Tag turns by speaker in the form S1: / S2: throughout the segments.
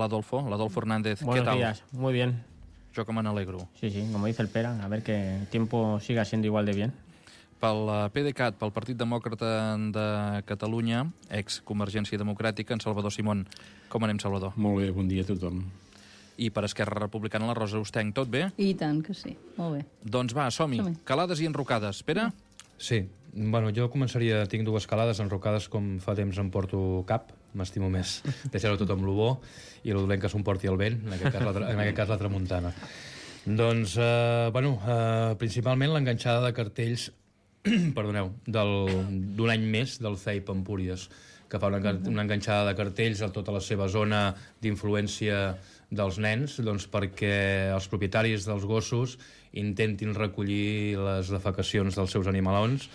S1: Adolfo Hernández.
S2: Buenos
S1: ¿Qué tal?
S2: días, muy bien.
S1: Yo como me n'alegro.
S2: Sí, como dice el Pera, a ver que el tiempo siga siendo igual de bien.
S1: Pel PDeCAT, pel Partit Demòcrata de Catalunya, ex-Convergència Democràtica, en Salvador Simón. Com anem, Salvador?
S3: Molt bé, bon dia a tothom.
S1: I per Esquerra Republicana, la Rosa Ostenc, tot bé?
S4: I tant que sí, molt bé.
S1: Doncs va, som-hi. Calades i enrocades. Pere?
S5: Sí, bueno, jo començaria, tinc dues calades, enrocades com fa temps em porto cap, m'estimo més deixar-ho tot amb lo bo i lo dolent que s'ho porti el vent, en aquest cas la tramuntana. Doncs, principalment l'enganxada de cartells perdoneu, d'un any més del CEIP Empúries, que fa una enganxada de cartells a tota la seva zona d'influència dels nens, doncs perquè els propietaris dels gossos intentin recollir les defecacions dels seus animalons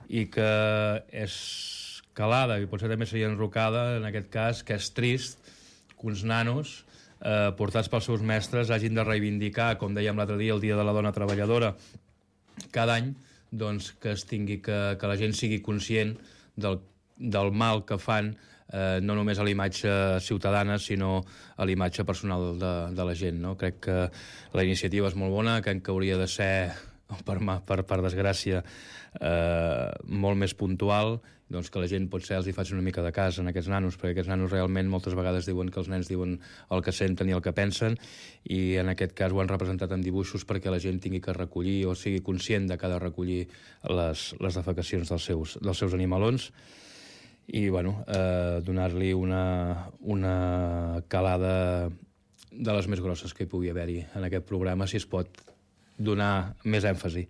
S5: i que és calada, i potser també seria enrocada en aquest cas, que és trist que uns nanos portats pels seus mestres hagin de reivindicar, com dèiem l'altre dia, el Dia de la Dona Treballadora cada any, doncs que la gent sigui conscient del mal que fan, no només a la imatge ciutadana, sinó a la imatge personal de la gent, no? Crec que la iniciativa és molt bona, crec que hauria de ser, per desgràcia, molt més puntual, doncs que la gent potser els hi faci una mica de cas en aquests nanos, perquè aquests nanos realment moltes vegades diuen que els nens diuen el que senten i el que pensen, i en aquest cas ho han representat amb dibuixos perquè la gent tingui que recollir o sigui conscient de que ha de recollir les defecacions dels seus animalons. I donar-li una calada de les més grosses que hi pugui haver-hi en aquest programa, si es pot donar més èmfasi.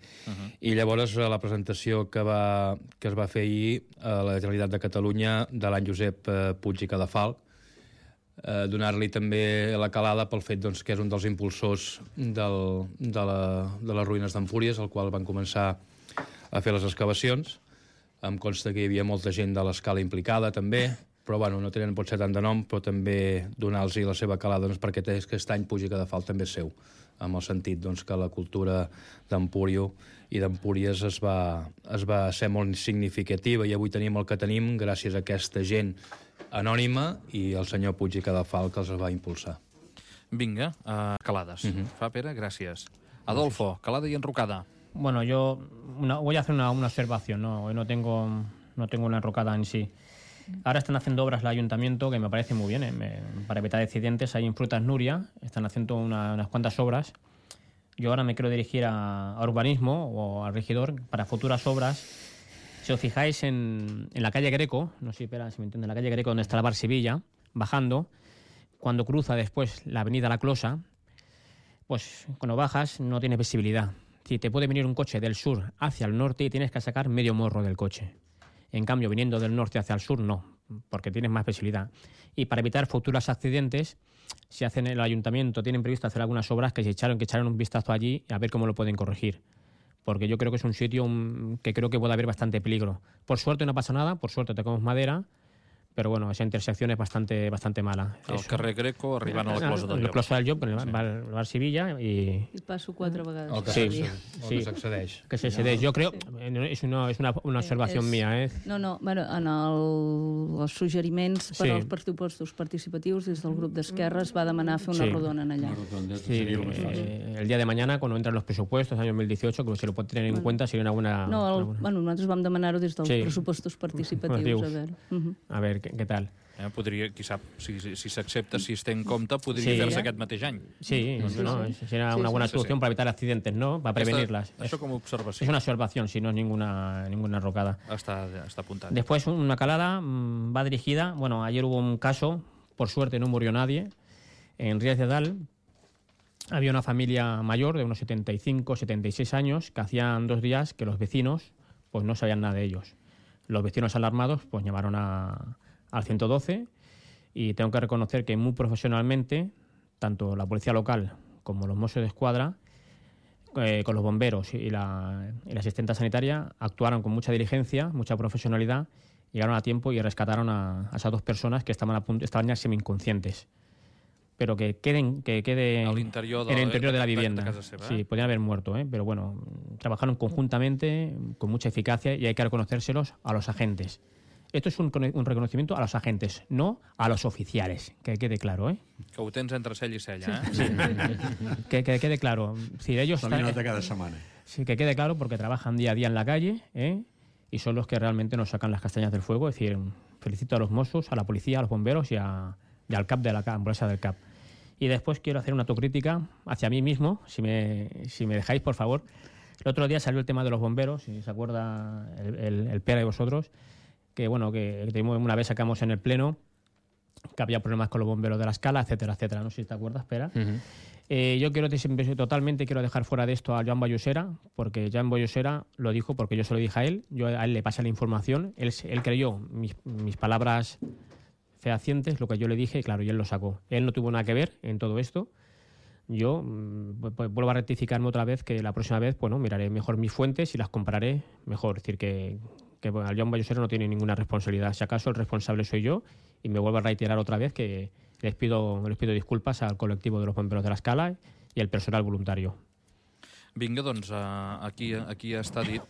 S5: I llavors la presentació que es va fer ahir a la Generalitat de Catalunya de l'any Josep Puig i Cadafalch, donar-li també la calada pel fet que és un dels impulsors de les ruïnes d'Empúries, al qual van començar a fer les excavacions. Em consta que hi havia molta gent de l'escala implicada també, però no tenen potser tant de nom, però també donar-los la seva calada perquè aquest any Puig i Cadafalch també és seu, amb el sentit que la cultura d'Empúrio i d'Empúries es va ser molt significativa, i avui tenim el que tenim gràcies a aquesta gent anònima i el senyor Puig i Cadafalch que els va impulsar.
S1: Vinga, calades. Fa, Pere, gràcies. Adolfo, calada y enrocada.
S2: Bueno, yo voy a hacer una observación, ¿no? Hoy no tengo una enrocada en sí. Ahora están haciendo obras el ayuntamiento que me parece muy bien, para evitar accidentes. Ahí en Frutas Nuria están haciendo unas cuantas obras. Yo ahora me quiero dirigir a urbanismo o al regidor para futuras obras. Si os fijáis en la calle Greco, no sé si me entiende, en la calle Greco donde está la Bar Sevilla, bajando, cuando cruza después la avenida La Closa, pues cuando bajas no tienes visibilidad. Si te puede venir un coche del sur hacia el norte y tienes que sacar medio morro del coche. En cambio, viniendo del norte hacia el sur, no, porque tienes más visibilidad. Y para evitar futuros accidentes, si hacen el ayuntamiento, tienen previsto hacer algunas obras que echar un vistazo allí a ver cómo lo pueden corregir. Porque yo creo que es un sitio que creo que puede haber bastante peligro. Por suerte no pasa nada, por suerte tocamos madera, pero bueno, esa intersección es bastante mala.
S1: El carrer Greco arribant a la Closa del Llop.
S2: La Closa del Llop, el bar Sevilla i
S4: passo 4 vegades.
S5: Que s'accedeix.
S2: Que s'accedeix. Jo crec, és una observació mía.
S4: Bueno, en els suggeriments per als pressupostos participatius des del grup d'Esquerra es va demanar fer una rodona en allà.
S2: Sí, el día de mañana, cuando entran los presupuestos, año 2018, que se lo pot tener en cuenta, seria una buena...
S4: Nosaltres vam demanar-ho des dels pressupostos participatius.
S2: A ver, què tal?
S1: Podria, qui sap, si s'accepta, si es té en compte, podria fer-se aquest mateix any.
S2: Sí, será una buena solución para evitar accidentes, ¿no? Para prevenirlas.
S1: Això com a observació.
S2: Es una observación, si no es ninguna enrocada.
S1: Està apuntat.
S2: Después, una calada va dirigida, bueno, ayer hubo un caso, por suerte no murió nadie, en Rías de Dal. Había una familia mayor de unos 75, 76 años que hacían 2 días que los vecinos pues no sabían nada de ellos. Los vecinos alarmados pues llamaron al 112 y tengo que reconocer que muy profesionalmente tanto la policía local como los Mossos d'Esquadra con los bomberos y la asistenta sanitaria actuaron con mucha diligencia, mucha profesionalidad, llegaron a tiempo y rescataron a esas 2 personas que estaban ya semi-inconscientes, pero que quede en el interior de la vivienda.
S1: De casa seva,
S2: Sí, podían haber muerto, pero bueno, trabajaron conjuntamente con mucha eficacia y hay que reconocérselos a los agentes. Esto es un reconocimiento a los agentes, no a los oficiales, que quede claro, ¿eh?
S1: Que ho tens entre cella i cella, eh?
S2: Sí. Que quede claro. Si ellos
S3: También nota cada semana.
S2: Sí, que quede claro, porque trabajan día a día en la calle, ¿eh? Y son los que realmente nos sacan las castañas del fuego. Es decir, felicito a los Mossos, a la policía, a los bomberos y al CAP de la ambulancia del CAP. Y después quiero hacer una autocrítica hacia mí mismo, si me dejáis, por favor. El otro día salió el tema de los bomberos, si se acuerda el Pera de vosotros, que bueno, que una vez sacamos en el pleno que había problemas con los bomberos de la Escala, etcétera, etcétera. No sé si te acuerdas, Pera. Yo totalmente quiero dejar fuera de esto a Joan Vallosera, porque Joan Vallosera lo dijo porque yo se lo dije a él, yo a él le pasé la información, él creyó mis palabras fehacientes, lo que yo le dije, claro, y él lo sacó. Él no tuvo nada que ver en todo esto. Yo vuelvo a rectificarme otra vez, que la próxima vez, bueno, miraré mejor mis fuentes y las compararé mejor. Es decir, que bueno, Joan Vallosera no tiene ninguna responsabilidad. Si acaso el responsable soy yo, y me vuelvo a reiterar otra vez que les pido disculpas al colectivo de los bomberos de la Escala i el personal voluntari.
S1: Vinga, doncs, aquí està dit.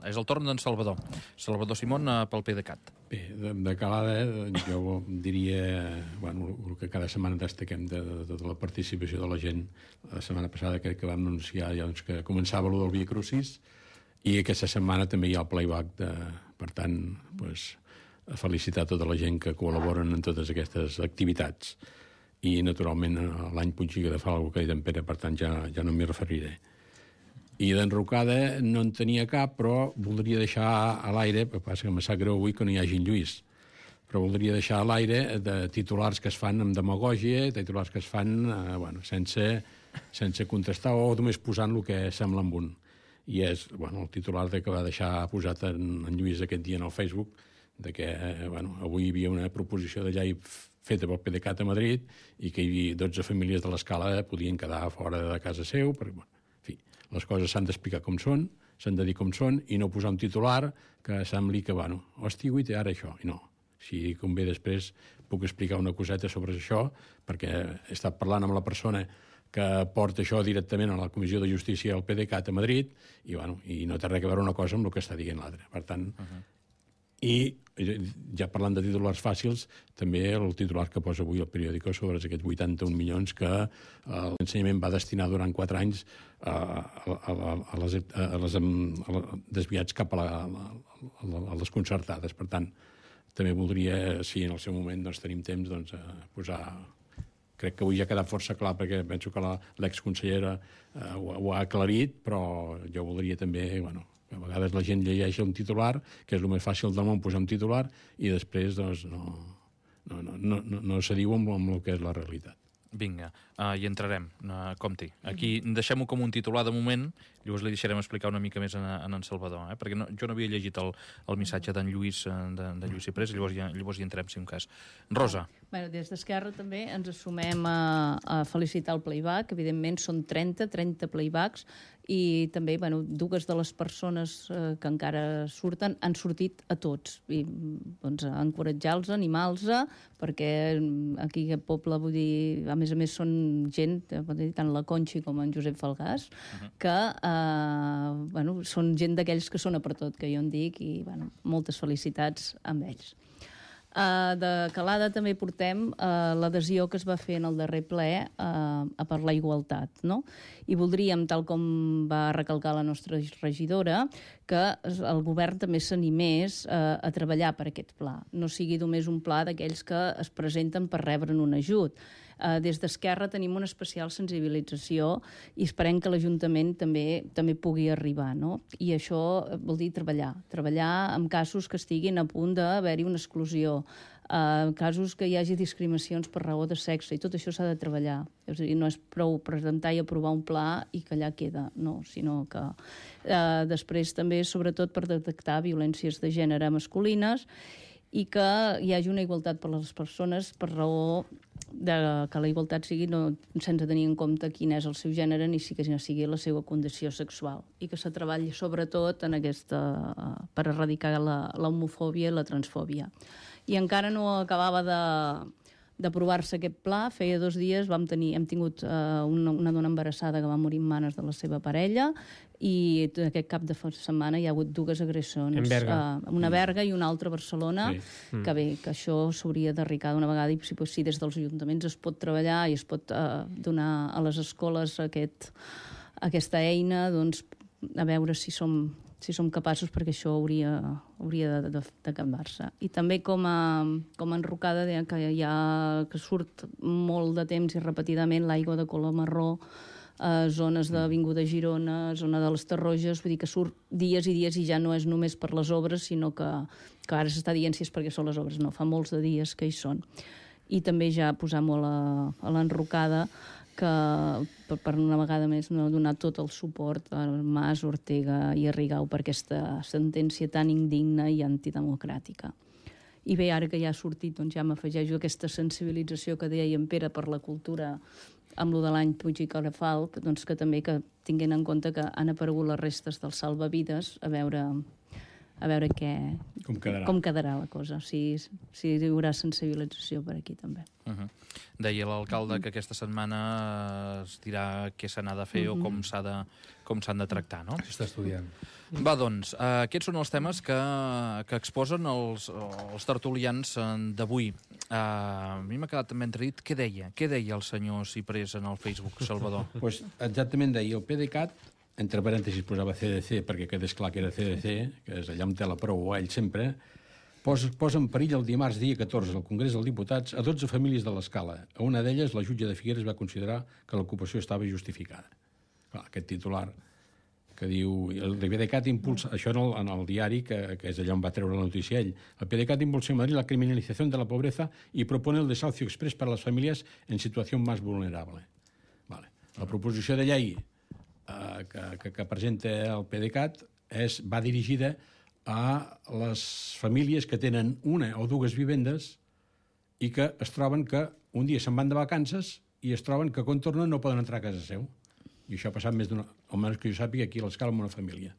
S1: És el torn d'en Salvador. Salvador Simón, pel PDeCAT.
S3: Bé, de calada, jo diria, bueno, el que cada setmana destaquem de la participació de la gent. La setmana passada crec que vam anunciar ja, doncs, que començava el del Via Crucis, i aquesta setmana també hi ha el playback. Per tant, doncs, felicitar tota la gent que col·laboren en totes aquestes activitats. I, naturalment, l'any Punxiga de Fal, que ha dit en Pere, per tant, ja no m'hi referiré. I d'enrocada no en tenia cap, però voldria deixar a l'aire, perquè passa que em sap greu avui que no hi hagi en Lluís, però voldria deixar a l'aire de titulars que es fan amb demagògia, titulars que es fan sense contrastar o només posant el que sembla amb un. I és el titular que va deixar posat en Lluís aquest dia en el Facebook, de que avui hi havia una proposició de llei feta pel PDeCAT a Madrid i que 12 famílies de l'Escala podien quedar fora de casa seu, perquè, en fi, les coses s'han d'explicar com són, s'han de dir com són, i no posar un titular que sembli que, hòstia, i ara això, i no. Si convé després puc explicar una coseta sobre això, perquè he estat parlant amb la persona que porta això directament a la Comissió de Justícia del PDeCAT a Madrid, i no té res a veure una cosa amb el que està dient l'altra. Per tant, i ja parlant de titulars fàcils, també el titular que posa avui el periòdico sobre aquests 81 milions que l'ensenyament va destinar durant 4 anys desviats cap a les concertades. Per tant, també voldria, si en el seu moment tenim temps, posar... Crec que avui ja ha quedat força clar, perquè penso que l'exconsellera ho ha aclarit, però jo voldria també... A vegades la gent llegeix un titular, que és el més fàcil del món posar un titular, i després no s'adiu amb el que és la realitat.
S1: Vinga, hi entrarem, compti. Aquí deixem-ho com un titular de moment, llavors li deixarem explicar una mica més a en Salvador, perquè jo no havia llegit el missatge d'en Lluís Ciprés, llavors hi entrem, si un cas. Rosa.
S4: Des d'Esquerra també ens assumem a felicitar el playback. Evidentment són 30 playbacks, i també dues de les persones que encara surten han sortit a tots, i encoratjar-los, animar-los, perquè aquí aquest poble, vull dir, a més són gent, tant la Conxi com en Josep Falgàs, que són gent d'aquells que són a per tot, que jo en dic, i moltes felicitats amb ells. De calada també portem l'adhesió que es va fer en el darrer ple per la igualtat, no? I voldríem, tal com va recalcar la nostra regidora, que el govern també s'animés a treballar per aquest pla. No sigui només un pla d'aquells que es presenten per rebre'n un ajut. Des d'Esquerra tenim una especial sensibilització i esperem que l'Ajuntament també pugui arribar, no? I això vol dir treballar en casos que estiguin a punt d'haver-hi una exclusió, casos que hi hagi discriminacions per raó de sexe, i tot això s'ha de treballar. És a dir, no és prou presentar i aprovar un pla i que allà queda, no, sinó que després també, sobretot per detectar violències de gènere masculines, i que hi hagi una igualtat per les persones per raó que la igualtat sigui sense tenir en compte quin és el seu gènere ni que sigui la seva condició sexual, i que se treballi sobretot en per erradicar l'homofòbia i la transfòbia. I encara no acabava d'aprovar-se aquest pla, feia 2 dies hem tingut una dona embarassada que va morir en mans de la seva parella i aquest cap de setmana hi ha hagut 2 agressions.
S2: En Berga.
S4: Una a Berga i una altra a Barcelona, que bé, que això s'hauria d'arricar d'una vegada i si des dels ajuntaments es pot treballar i es pot donar a les escoles aquesta eina, doncs a veure si som capaços, perquè això hauria d'acabar-se. I també com a enrocada que surt molt de temps i repetidament l'aigua de color marró, zones d'Avinguda Girona, zona de les Tarroges, vull dir que surt dies i dies i ja no és només per les obres, sinó que ara s'està dient si és perquè són les obres, no, fa molts de dies que hi són. I també ja posar molt a l'enrocada que per una vegada més no donar tot el suport a Mas, Ortega i a Rigau per aquesta sentència tan indigna i antidemocràtica. I bé, ara que ja ha sortit, doncs ja m'afegeixo aquesta sensibilització que deia en Pere per la cultura amb lo de l'any Puig i Cadafalch, doncs que també que tinguin en compte que han aparegut les restes dels salvavides, a veure com quedarà la cosa, si hi haurà sensibilització per aquí també.
S1: Deia l'alcalde que aquesta setmana es dirà què se n'ha de fer o com s'han de tractar, no?
S5: S'està estudiant.
S1: Va, doncs, aquests són els temes que exposen els tertulians d'avui. A mi m'ha quedat també entredit. Què deia el senyor Ciprés en el Facebook, Salvador?
S3: Pues exactament deia, el PDeCAT, entre parèntesis posava CDC, perquè quedés clar que era CDC, que és allà on té la prou ell sempre, posa en perill el dimarts dia 14 al Congrés dels Diputats a 12 famílies de l'Escala. A una d'elles, la jutge de Figueres va considerar que l'ocupació estava justificada. Clar, aquest titular que diu... El PDeCAT impulsa... Això en el diari, que és allà on va treure la notícia ell. El PDeCAT impulsa en Madrid la criminalización de la pobreza y propone el desahucio express para las familias en situación más vulnerable. Vale. La proposició de llei que presenta el PDeCAT va dirigida a les famílies que tenen una o 2 vivendes i que es troben que un dia se'n van de vacances i es troben que quan tornen no poden entrar a casa seu. I això ha passat més d'una... Almenys que jo sàpiga aquí a l'Escala amb una família.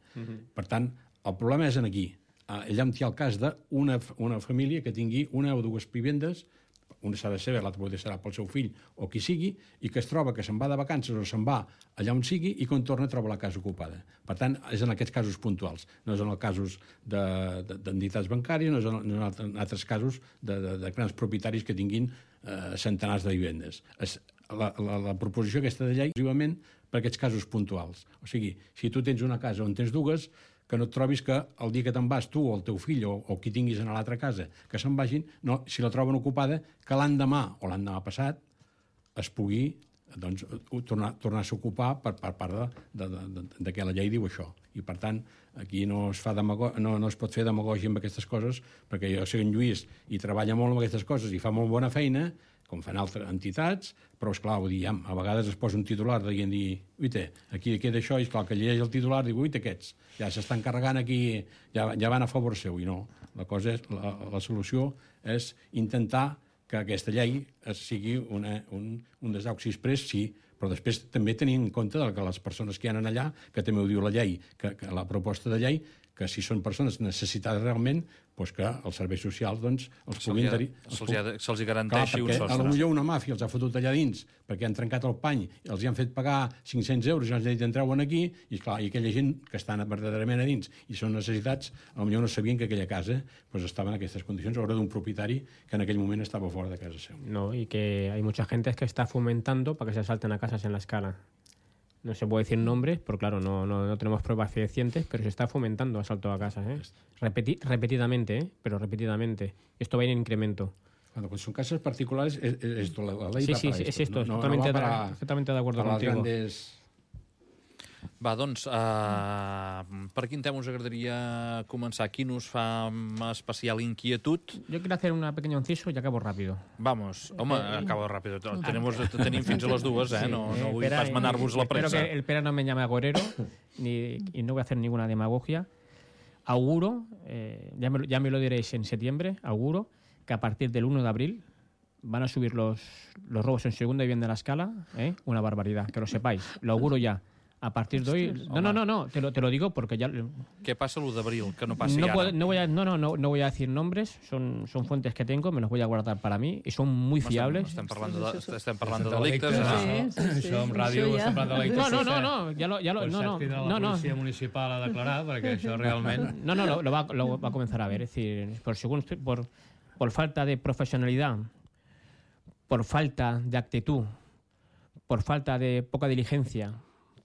S3: Per tant, el problema és aquí. Allà on hi ha el cas d'una família que tingui una o 2 vivendes, una s'ha de saber, l'altra potser serà pel seu fill o qui sigui, i que es troba que se'n va de vacances o se'n va allà on sigui i quan torna troba la casa ocupada. Per tant, és en aquests casos puntuals. No és en els casos d'entitats bancàries, no és en altres casos de grans propietaris que tinguin centenars de vivendes. La proposició aquesta de llei, exclusivament per aquests casos puntuals. O sigui, si tu tens una casa on tens 2, que no et trobis que el dia que te'n vas tu o el teu fill o qui tinguis a l'altra casa que se'n vagin, no, si la troben ocupada, que l'endemà o l'endemà passat es pugui tornar-se a ocupar per part de que la llei diu això. I, per tant, aquí no es pot fer demagògia amb aquestes coses, perquè jo sé que en Lluís hi treballa molt amb aquestes coses i fa molt bona feina, com fan altres entitats, però, esclar, vull dir, a vegades es posa un titular dient, uite, aquí queda això, i esclar, que llegeix el titular, diu, uite, aquests, ja s'estan carregant aquí, ja van a favor seu, i no. La solució és intentar que aquesta llei sigui un desahuci express, sí, però després també tenir en compte que les persones que hi ha allà, que també ho diu la llei, que la proposta de llei, que si són persones necessitades realment, doncs que els serveis socials els puguin...
S1: Se'ls garanteixi un sostre.
S3: Potser una màfia els ha fotut allà dins perquè han trencat el pany i els hi han fet pagar 500 euros i els han dit entreuen aquí i aquella gent que estan verdaderament a dins i són necessitats, potser no sabien que aquella casa estava en aquestes condicions, a l'hora d'un propietari que en aquell moment estava fora de casa seu.
S2: No, y que hay mucha gente que está fomentando para que se asalten a casas en la Escala. No se puede decir nombres, porque claro, no tenemos pruebas fehacientes, pero se está fomentando asalto a casas, repetidamente, pero repetidamente. Esto va a ir en incremento.
S3: Cuando son casas particulares, la ley
S2: sí,
S3: va para
S2: es esto.
S3: No
S2: totalmente de acuerdo
S3: para
S2: contigo.
S3: Grandes...
S1: Va, doncs, per quin tema us agradaria començar? Quin us fa especial inquietud?
S2: Yo quiero hacer un pequeño inciso y acabo rápido.
S1: Vamos, home, acabo rápido. Tenim fins a les 2, no vull pas manar-vos la pressa.
S2: Espero que el Pere no me llame agorero y no voy a hacer ninguna demagogia. Auguro, ya me lo diréis en septiembre, auguro que a partir del 1 de abril van a subir los robos en segunda vivienda de la Escala, una barbaridad, que lo sepáis, lo auguro ya. A partir de hoy... No, te lo digo porque ya...
S1: Què passa l'1 d'abril, que no passi
S2: No
S1: ara?
S2: voy a decir nombres, son fuentes que tengo, me los voy a guardar para mí y son muy fiables.
S1: Estem parlant de delictes.
S5: Això en ràdio
S4: Això ja.
S5: estem parlant de delictes.
S2: No, ya lo,
S5: La policia municipal a declarar, perquè això realment...
S2: No, lo va a comenzar a ver. Es decir, por falta de profesionalidad, por falta de actitud, por falta de poca diligencia,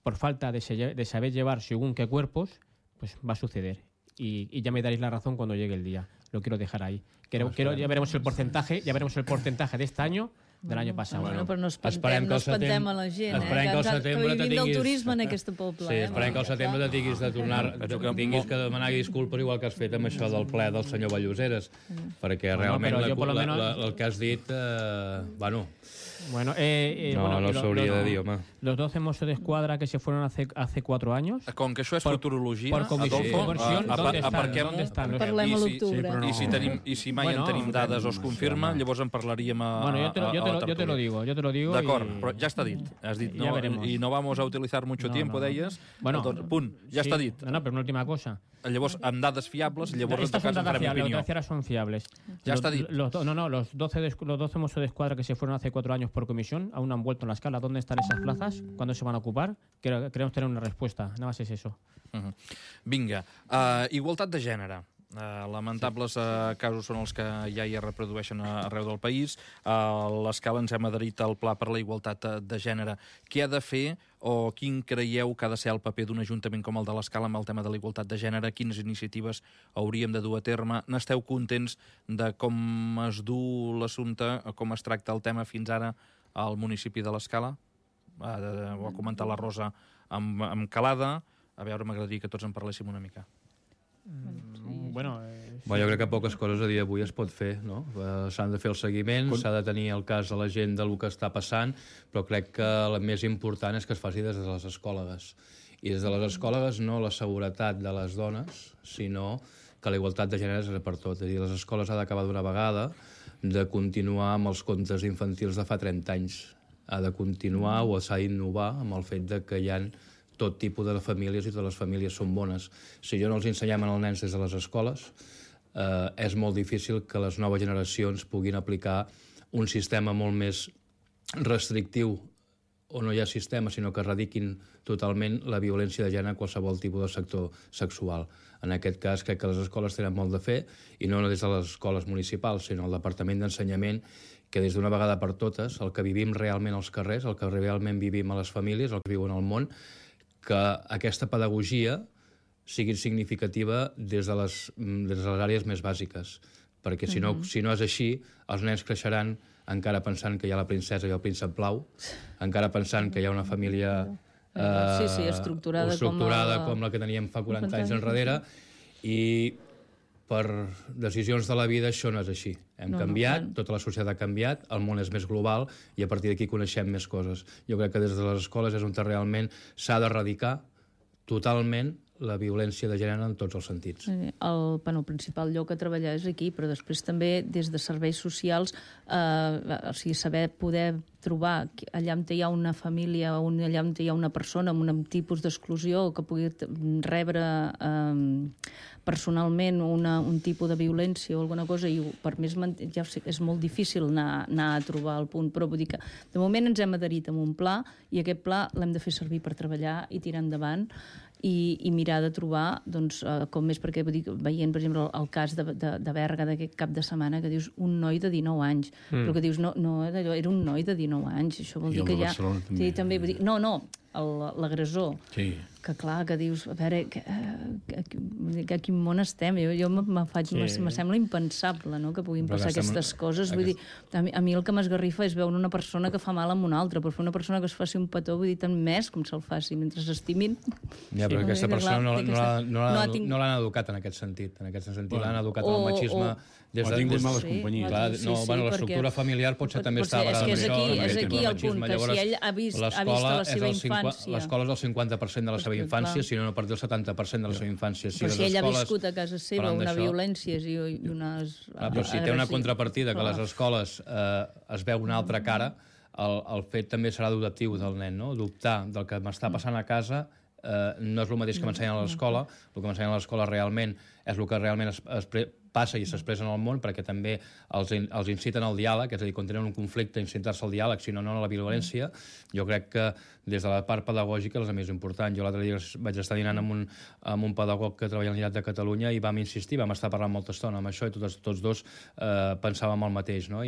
S2: por falta de saber llevar según qué cuerpos, pues va a suceder. Y ya me daréis la razón cuando llegue el día. Lo quiero dejar ahí. Ya veremos el porcentaje de este año del any passat.
S4: Bueno, però no
S5: esperem que
S4: espantem a la gent,
S5: esperem que al setembre
S4: que vivim del turisme en aquest poble.
S5: Sí, esperem que al setembre te tinguis de tornar, tinguis que demanar disculpes igual que has fet amb això del ple del senyor Valloseres, perquè realment el que has dit, bueno...
S2: Bueno,
S5: no s'hauria de dir, home.
S2: Los 12 Mossos de Escuadra que se fueron hace 4 años...
S1: Com que això és futurologia,
S2: por comisión,
S1: Adolfo,
S2: ¿dónde están?
S4: Parlem a l'octubre.
S1: I si mai en tenim dades o es confirma, llavors en parlaríem a
S2: Bueno, yo te lo digo.
S1: D'acord, però ja està dit. Has dit, no, y no vamos a utilizar mucho tiempo, deies.
S2: Bueno,
S1: punt, ja està dit.
S2: No, pero una última cosa.
S1: Llavors, amb dades fiables, llavors en tot cas en farem opinió.
S2: Las dadas son fiables.
S1: Ya está dit.
S2: Los 12 Mossos de Escuadra que se fueron hace 4 años por comisión aún no han vuelto en la escala. ¿Dónde están esas plazas? ¿Cuándo se van a ocupar? Queremos tener una respuesta. Nada más es eso.
S1: Vinga. Igualtat de gènere. Lamentables casos són els que ja hi reprodueixen arreu del país. A l'Escala ens hem adherit al Pla per la Igualtat de Gènere. Què ha de fer o quin creieu que ha de ser el paper d'un ajuntament com el de l'Escala amb el tema de la igualtat de gènere? Quines iniciatives hauríem de dur a terme? N'esteu contents de com es du l'assumpte, com es tracta el tema fins ara al municipi de l'Escala? Ho ha comentat la Rosa amb Calada. A veure, m'agradaria que tots en parléssim una mica.
S2: Bueno,
S5: jo crec que poques coses a dia d'avui es pot fer, no? S'han de fer el seguiment, s'ha de tenir el cas de la gent del que està passant, però crec que el més important és que es faci des de les escòlogues. I des de les escòlogues no la seguretat de les dones, sinó que la igualtat de gènere és per tot. És a dir, les escoles ha d'acabar d'una vegada de continuar amb els contes infantils de fa 30 anys. Ha de continuar o s'ha d'innovar amb el fet de que hi ha tot tipus de famílies i totes les famílies són bones. Si jo no els ensenyem als nens des de les escoles, és molt difícil que les noves generacions puguin aplicar un sistema molt més restrictiu, o no hi ha sistema, sinó que erradiquin totalment la violència de gènere en qualsevol tipus de sector sexual. En aquest cas, crec que les escoles tenen molt de fer, i no des de les escoles municipals, sinó el Departament d'Ensenyament, que des d'una vegada per totes, el que vivim realment als carrers, el que realment vivim a les famílies, el que viuen al món, que aquesta pedagogia sigui significativa des de les àrees més bàsiques. Perquè si no és així, els nens creixeran encara pensant que hi ha la princesa i el príncep blau, encara pensant que hi ha una família estructurada com la que teníem fa 40 anys enrere, i per decisions de la vida això no és així. Hem canviat, tota la societat ha canviat, el món és més global i a partir d'aquí coneixem més coses. Jo crec que des de les escoles és on realment s'ha d'erradicar totalment la violència de gènere en tots els sentits.
S4: El principal lloc a treballar és aquí, però després també des de serveis socials, saber poder trobar allà on hi ha una família, allà on hi ha una persona amb un tipus d'exclusió que pugui rebre personalment un tipus de violència o alguna cosa, i per més ja sé que és molt difícil anar a trobar el punt, però vull dir que de moment ens hem adherit a un pla i aquest pla l'hem de fer servir per treballar i tirar endavant i mirar de trobar, doncs, com més, perquè veient, per exemple, el cas de Berga d'aquest cap de setmana, que dius un noi de 19 anys, però que dius, no, era un noi de 19 anys, això vol dir que ja... Sí, també, vull dir, no, l'agressor, que clar, que dius, a veure, a quin món estem? Jo me sembla impensable, no?, que puguin passar aquestes coses. Vull dir, a mi el que m'esgarrifa és veure una persona que fa mal a una altra, però fer una persona que es faci un petó, vull dir, tant més com se'l faci, mentre s'estimin.
S5: Ja, però aquesta persona no l'han educat en aquest sentit. En aquest sentit l'han educat en el machisme.
S3: O ha tingut males companyies.
S5: L'estructura familiar potser també està barada amb això.
S4: És aquí el punt, que si ell ha vist la seva infància...
S5: L'escola és el 50% de la seva infància, si no perdé el 70% de la seva infància.
S4: Però si ell ha viscut a casa seva una violència i unes...
S5: Però si té una contrapartida, que a les escoles es veu una altra cara, el fet també serà adoptiu del nen, no? Dubtar del que m'està passant a casa no és el mateix que m'ensenyen a l'escola. El que m'ensenyen a l'escola realment és el que realment passa i s'expressa en el món, perquè també els inciten al diàleg, és a dir, quan tenen un conflicte, incitar-se al diàleg, sinó no a la violència. Jo crec que des de la part pedagògica és la més important. Jo l'altre dia vaig estar dinant amb un pedagog que treballa a la Generalitat de Catalunya i vam insistir, vam estar parlant molta estona amb això i tots dos pensàvem el mateix, no?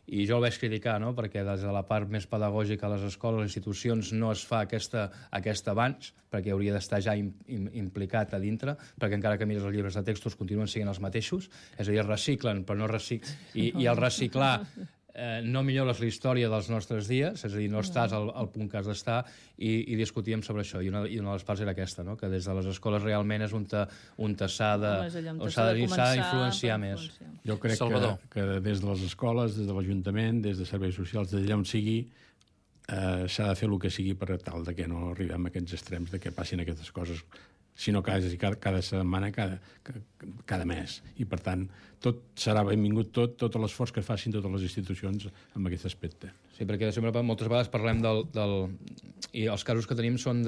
S5: I jo el vaig criticar, no? Perquè des de la part més pedagògica a les escoles, a les institucions, no es fa aquest avanç, perquè hauria d'estar ja implicat a dintre, perquè encara que mires els llibres de textos continuen sent els mateixos, és a dir, es reciclen, però no reciclen. I el reciclar no millores la història dels nostres dies, és a dir, no estàs al punt que has d'estar, i discutíem sobre això. I una de les parts era aquesta, no? Que des de les escoles realment és on s'ha d'influenciar més.
S3: Jo crec que des de les escoles, des de l'Ajuntament, des de serveis socials, des d'allà on sigui, s'ha de fer el que sigui per tal de que no arribem a aquests extrems de que passin aquestes coses, sinó cada setmana, cada mes. I, per tant, tot serà benvingut, tot l'esforç que facin totes les institucions en aquest aspecte.
S5: Sí, perquè sempre moltes vegades parlem i els casos que tenim són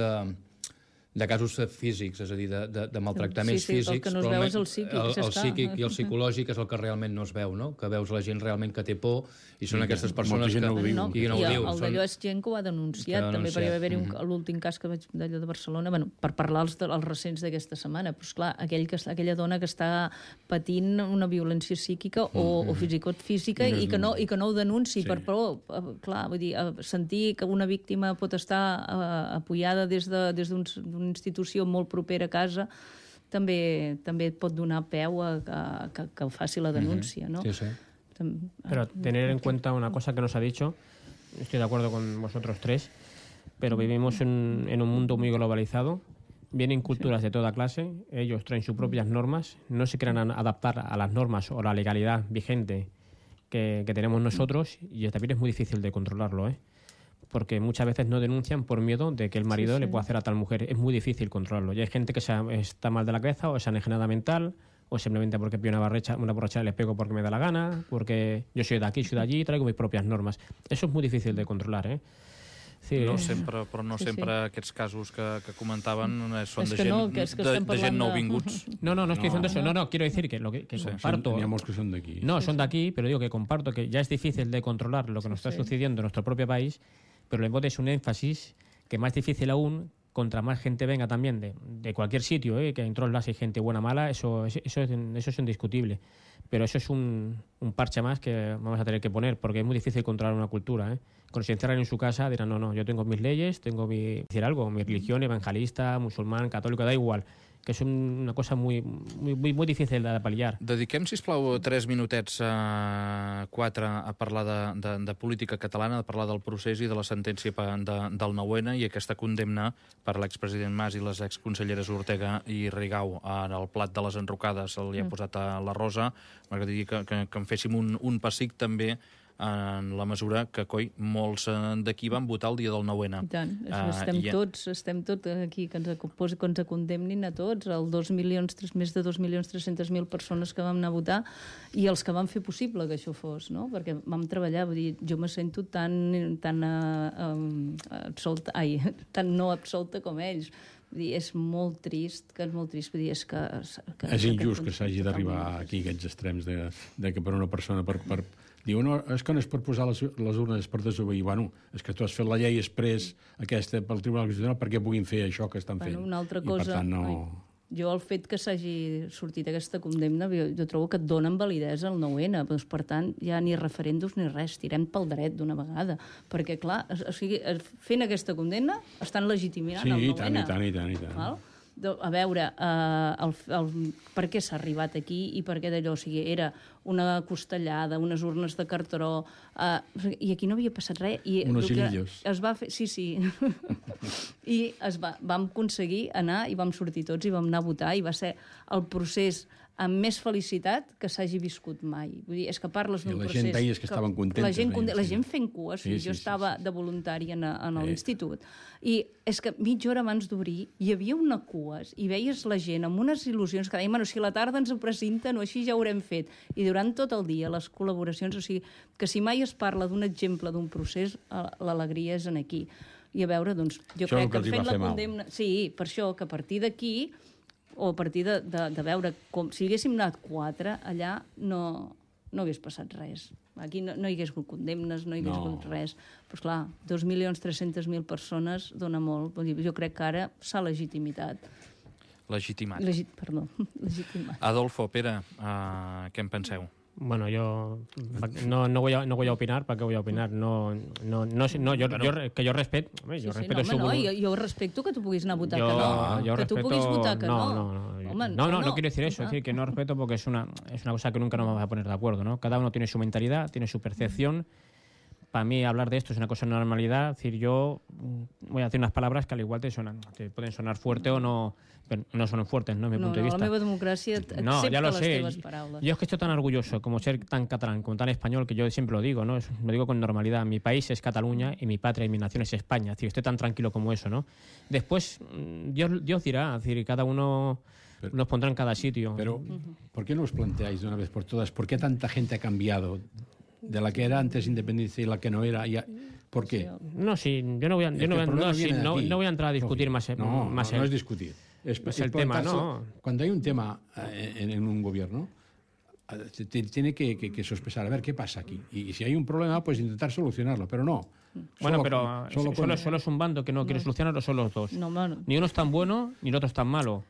S5: de casos físics, és a dir, de maltractaments físics.
S4: El que no es veu és el psíquic.
S5: El psíquic i el psicològic és el que realment no es veu, no? Que veus la gent realment que té por i són aquestes persones que no ho diu.
S4: I el d'allò és gent que ho ha denunciat, també, perquè va haver-hi l'últim cas que vaig d'allò de Barcelona, per parlar els recents d'aquesta setmana, però esclar, aquella dona que està patint una violència psíquica o fins i tot física i que no ho denunci per por. Clar, vull dir, sentir que una víctima pot estar apoyada des d'una institució molt propera a casa també pot donar peu a que faci la denúncia, ¿no?
S5: Sí, sí.
S2: Pero tener en cuenta una cosa que nos ha dicho, estoy de acuerdo con vosotros tres, pero vivimos en un mundo muy globalizado, vienen culturas de toda clase, ellos traen sus propias normas, no se quieran adaptar a las normas o la legalidad vigente que tenemos nosotros, y también es muy difícil de controlarlo, porque muchas veces no denuncian por miedo de que el marido le pueda hacer a tal mujer. Es muy difícil controlarlo. Y hay gente que está mal de la cabeza o es enajenada mental, o simplemente porque pido una borrachera les pego porque me da la gana, porque yo soy de aquí, soy de allí, traigo mis propias normas. Eso es muy difícil de controlar, Sí,
S1: no sempre, però no sempre aquests casos que comentaven són de gent nouvinguts.
S2: No estoy diciendo eso. No, quiero decir que lo que comparto...
S3: Teníamos que son de aquí.
S2: No, son de aquí, pero digo que comparto que ya es difícil de controlar lo que nos está sucediendo en nuestro propio país, pero le pones un énfasis que más difícil aún, contra más gente venga también de cualquier sitio, que en todos lados hay gente buena, mala, eso es indiscutible. Pero eso es un parche más que vamos a tener que poner, porque es muy difícil controlar una cultura. Cuando se encierran en su casa dirán, no, yo tengo mis leyes, tengo mi religión, evangelista, musulmán, católico, da igual, que és una cosa muy difícil de pal·liar.
S1: Dediquem, sisplau, 3 minutets a 4 a parlar de política catalana, a parlar del procés i de la sentència del 9N i aquesta condemna per l'expresident Mas i les exconselleres Ortega i Rigau. En el plat de les enrocades li ha posat a la Rosa. M'agradaria que en féssim un pessic també en la mesura que, molts d'aquí van votar el dia del 9N.
S4: I tant, estem tots aquí, que ens condemnin a tots, més de 2.300.000 persones que vam anar a votar i els que van fer possible que això fos, no? Perquè vam treballar, vull dir, jo me sento tan no absolta com ells. Vull dir, és molt trist, vull dir,
S3: és injust que s'hagi d'arribar aquí aquests extrems de que per una persona diu, no, és que no és per posar les urnes per desobeir. Bueno, és que tu has fet la llei exprés aquesta pel Tribunal Constitucional perquè puguin fer això que estan fent.
S4: Una altra cosa,
S3: i per tant no...
S4: Jo el fet que s'hagi sortit aquesta condemna, jo trobo que et donen validesa al 9N, doncs, per tant, ja ni referèndums ni res, tirem pel dret d'una vegada, perquè clar, fent aquesta condemna estan legitimant el 9N.
S3: Sí, i tant.
S4: Val? A veure, per què s'ha arribat aquí i per què d'allò, o sigui, era una costellada, unes urnes de cartró, i aquí no havia passat res.
S3: Unos hilillos.
S4: Es va fer, sí. I vam aconseguir anar i vam sortir tots i vam anar a votar i va ser el procés amb més felicitat que s'hagi viscut mai. Vull dir, és que parles d'un procés...
S3: I la gent deies que estaven contentes.
S4: La gent fent cues. Jo estava de voluntària en l'institut. I és que mitja hora abans d'obrir hi havia una cues i veies la gent amb unes il·lusions que deien, bueno, si a la tarda ens ho presenten o així ja ho haurem fet. I durant tot el dia les col·laboracions, o sigui, que si mai es parla d'un exemple d'un procés, l'alegria és en aquí. I a veure, doncs, jo crec que fent la condemna... Sí, per això, que a partir d'aquí o a partir de veure com... Si haguéssim anat 4, allà no hagués passat res. Aquí no hi hagués hagut condemnes, no hi hagués hagut res. Però, esclar, 2.300.000 persones dona molt. Jo crec que ara s'ha legitimitat.
S1: Legitimat.
S2: Legitimat.
S1: Adolfo, Pere, què en penseu?
S2: Bueno, yo no voy a opinar, ¿para qué voy a opinar? Que yo respeto...
S4: Yo respeto que tú puguis anar a votar que no. Que tú puguis votar que no.
S2: No quiero decir eso, es decir, que no respeto porque es una cosa que nunca nos vamos a poner de acuerdo, ¿no? Cada uno tiene su mentalidad, tiene su percepción. Para mí hablar de esto es una cosa de normalidad. Es decir, yo voy a decir unas palabras que al igual te pueden sonar fuerte o no, pero no son fuertes, ¿no? Mi punto de vista.
S4: La meva democràcia accepta les teves paraules.
S2: Yo es que estoy tan orgulloso como ser tan catalán, como tan español, que yo siempre lo digo, ¿no? Lo digo con normalidad. Mi país es Cataluña y mi patria y mi nación es España. Es decir, estoy tan tranquilo como eso, ¿no? Después, Dios dirá, es decir, cada uno nos pondrá en cada sitio.
S3: Pero, ¿por qué no os planteáis de una vez por todas por qué tanta gente ha cambiado de la que era antes independiente y la que no era? ¿Por qué?
S2: No, sí, yo no voy a entrar a discutir más.
S3: No es discutir. Es
S2: el tema, ¿no?
S3: Cuando hay un tema en un gobierno, tiene que sospechar, a ver qué pasa aquí. Y si hay un problema, pues intentar solucionarlo, pero no.
S2: Bueno, solo es un bando que no quiere solucionarlo, son los dos. Ni uno es tan bueno, ni el otro es tan malo.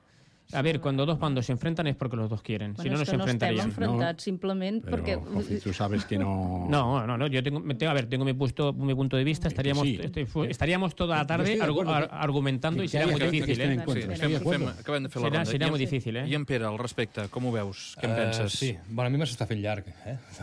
S2: A ver, cuando dos bandos se enfrentan es porque los dos quieren, si no, no se enfrentarían.
S4: No estem enfrentats, simplement perquè...
S3: Tú sabes que no...
S2: No, yo tengo mi punto de vista, estaríamos toda la tarde argumentando y sería muy difícil,
S1: Acabem de fer la ronda.
S2: Seria molt difícil,
S1: I en Pere, al respecte, com ho veus? Què en penses?
S5: Sí, bueno, a mi m'està fent llarg,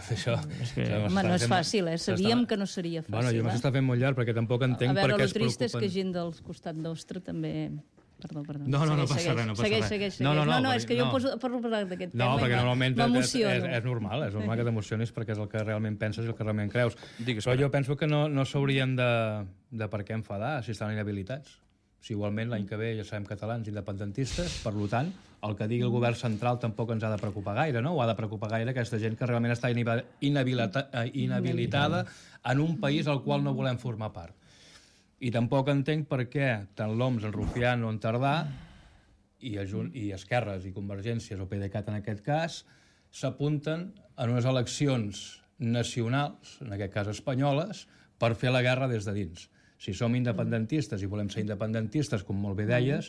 S5: Això...
S4: Home, no és fàcil, Sabíem que no seria fàcil.
S5: Bueno, jo m'està fent molt llarg perquè tampoc entenc per què es preocupen...
S4: A veure, el trist és que gent del costat nostre també... Perdó.
S5: No passa res.
S4: Segueix. No, és que jo parlo d'aquest tema
S5: perquè normalment
S4: m'emociono.
S5: És normal que t'emocionis perquè és el que realment penses i el que realment creus.
S1: Digues,
S5: però jo penso que no s'haurien de per què enfadar si estan inhabilitats. Si igualment l'any que ve ja sabem catalans independentistes, per tant, el que digui el govern central tampoc ens ha de preocupar gaire, no? O ha de preocupar gaire aquesta gent que realment està inhabilitada en un país al qual no volem formar part. I tampoc entenc per què tant l'OMS, en Rufián o en Tardà i Esquerres i Convergències o PDeCAT en aquest cas s'apunten en unes eleccions nacionals, en aquest cas espanyoles, per fer la guerra des de dins. Si som independentistes i volem ser independentistes, com molt bé deies,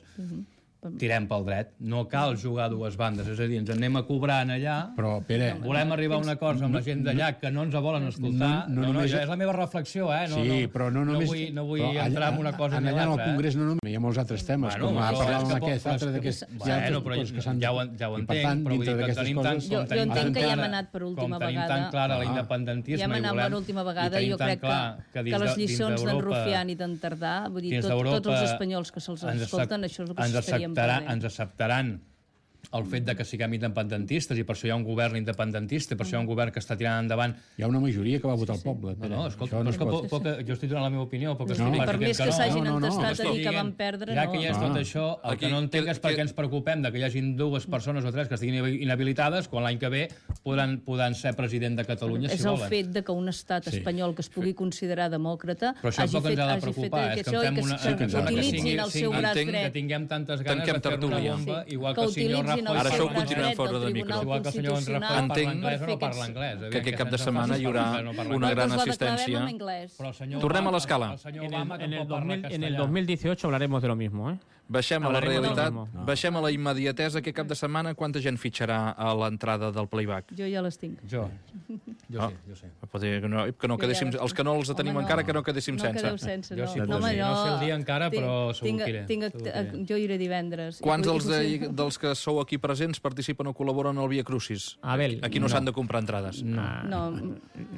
S5: tirem pel dret. No cal jugar a dues bandes, és a dir, ens anem a cobrar allà,
S3: però, Pere,
S5: volem arribar a un acord amb la gent d'allà que no ens volen escoltar. És la meva reflexió,
S3: Sí, però no només...
S5: No vull entrar en una cosa ni
S3: l'altra.
S5: Allà
S3: al Congrés no només hi ha molts altres temes, com parlàvem aquest altre d'aquests...
S5: Bueno, però ja ho entenc, però vull dir que tenim tant...
S4: Jo entenc que ja hem anat per última vegada.
S5: Com tenim tan clara l'independentisme
S4: ja hem anat per última vegada i jo crec que les lliçons d'en Rufián i d'en Tardà, vull dir, tots els espanyols que se'ls escolten, això és el que s'estaríem perdent.
S5: Ens acceptaran el fet de que siguem independentistes i per això hi ha un govern independentista, per això hi ha un govern que està tirant endavant.
S3: Hi ha una majoria que va votar el poble.
S5: No, escolta, jo estic donant la meva opinió.
S4: Per més que s'hagin entestat a dir que van perdre, no.
S5: Ja que hi és tot això, el que no entenc és per què ens preocupem de que hi hagin 2 persones o 3 que estiguin inhabilitades quan l'any que ve podran ser president de Catalunya, si volen.
S4: És el fet de que un estat espanyol que es pugui considerar demòcrata hagi fet això i que utilitzin el seu braç dret.
S5: Que tinguem tantes ganes de fer una bomba, igual que el senyor Rajoy...
S1: Ara això ho continuem fora de micro.
S5: Igual que el senyor Rajoy parla anglès o no parla anglès.
S1: Que aquest cap de setmana hi haurà una gran assistència. Tornem a l'escala.
S2: En el 2018 hablaremos de lo mismo,
S1: Baixem a la realitat, baixem a la immediatesa. Aquest cap de setmana quanta gent fitxarà a l'entrada del playback?
S4: Jo ja les tinc.
S5: Jo. Jo sí.
S1: Que no quedéssim, els que no els tenim encara, que no quedéssim sense.
S4: No quedeu sense,
S5: Jo
S4: no.
S5: sí,
S4: No, home,
S5: no sé el dia encara, però segur que iré.
S4: Jo iré divendres.
S1: Quants dels que sou aquí presents participen o col·laboren al Via Crucis?
S2: Abel,
S1: Aquí no s'han de comprar entrades.
S4: No,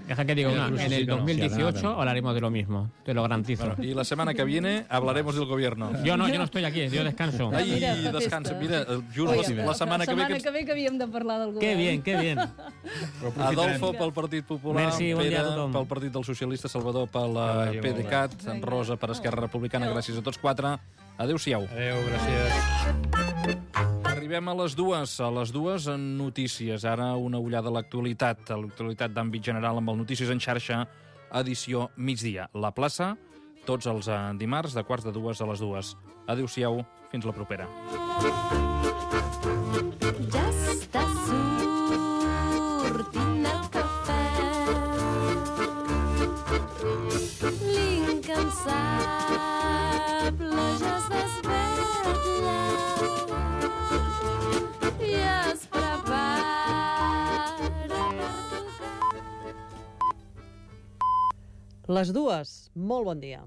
S2: Deja que diga una. En el 2018 hablaremos de lo mismo, te lo garantizo.
S1: Bueno, y la semana que viene hablaremos del gobierno.
S2: Yo no estoy aquí, yo descanso.
S1: Ai,
S4: Mira, fa
S1: descansa.
S4: festa.
S1: Mira, just la setmana que ve...
S4: La setmana que ve que havíem de parlar del govern.
S2: Qué bien, qué bien.
S1: Adolfo pel Partit Popular,
S2: Merci, bon dia a
S1: Pere
S2: tothom.
S1: pel Partit dels Socialistes, Salvador per la
S5: vagi molt bé.
S1: PDeCAT, Rosa per Esquerra Republicana. Gràcies a tots quatre. Adéu-siau.
S5: Adéu, gràcies.
S1: Arribem a les dues en notícies. Ara una ullada a l'actualitat d'àmbit general amb el Notícies en xarxa, edició migdia. La plaça, tots els dimarts, de 1:45 a les 2. Adéu-siau, fins la propera.
S6: Ja està sortint el cafè, l'incansable ja es desvetlla i es prepara per tocar.
S7: Les dues, molt bon dia.